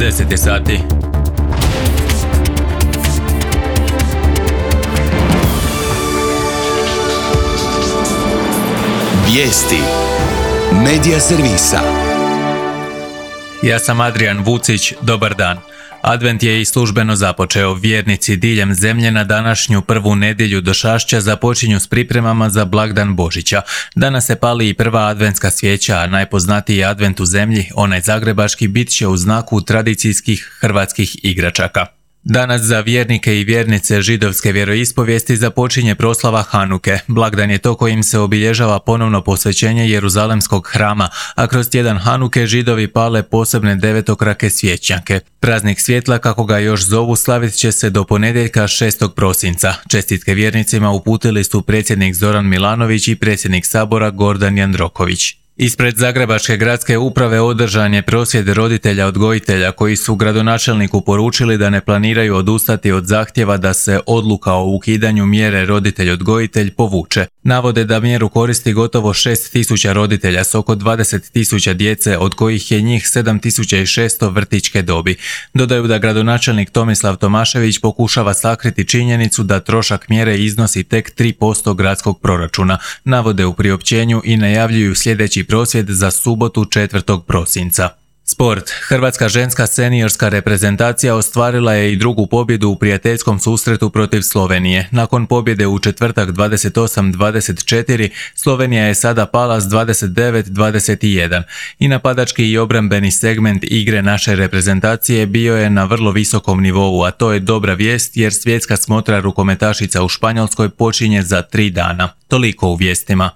10 je sati. Vijesti Medija servisa. Ja sam Adrian Vucić, dobar dan. Advent je i službeno započeo. Vjernici diljem zemlje na današnju prvu nedjelju došašća započinju s pripremama za blagdan Božića. Danas se pali i prva adventska svijeća, a najpoznatiji advent u zemlji, onaj zagrebački, bit će u znaku tradicijskih hrvatskih igračaka. Danas za vjernike i vjernice židovske vjeroispovijesti započinje proslava Hanuke. Blagdan je to kojim se obilježava ponovno posvećenje Jeruzalemskog hrama, a kroz tjedan Hanuke Židovi pale posebne devetokrake svjećnjake. Praznik svjetla, kako ga još zovu, slavit će se do ponedjeljka 6. prosinca. Čestitke vjernicima uputili su predsjednik Zoran Milanović i predsjednik Sabora Gordan Jandroković. Ispred Zagrebačke gradske uprave održan je prosvjed roditelja odgojitelja koji su gradonačelniku poručili da ne planiraju odustati od zahtjeva da se odluka o ukidanju mjere roditelj-odgojitelj povuče. Navode da mjeru koristi gotovo 6.000 roditelja s oko 20.000 djece, od kojih je njih 7.600 vrtićke dobi. Dodaju da gradonačelnik Tomislav Tomašević pokušava sakriti činjenicu da trošak mjere iznosi tek 3% gradskog proračuna. Navode u priopćenju i najavljuju sljedeći prosvjed za subotu 4. prosinca. Sport. Hrvatska ženska seniorska reprezentacija ostvarila je i drugu pobjedu u prijateljskom susretu protiv Slovenije. Nakon pobjede u četvrtak 28-24, Slovenija je sada pala s 29-21. I napadački i obrambeni segment igre naše reprezentacije bio je na vrlo visokom nivou, a to je dobra vijest jer svjetska smotra rukometašica u Španjolskoj počinje za 3 dana. Toliko u vijestima.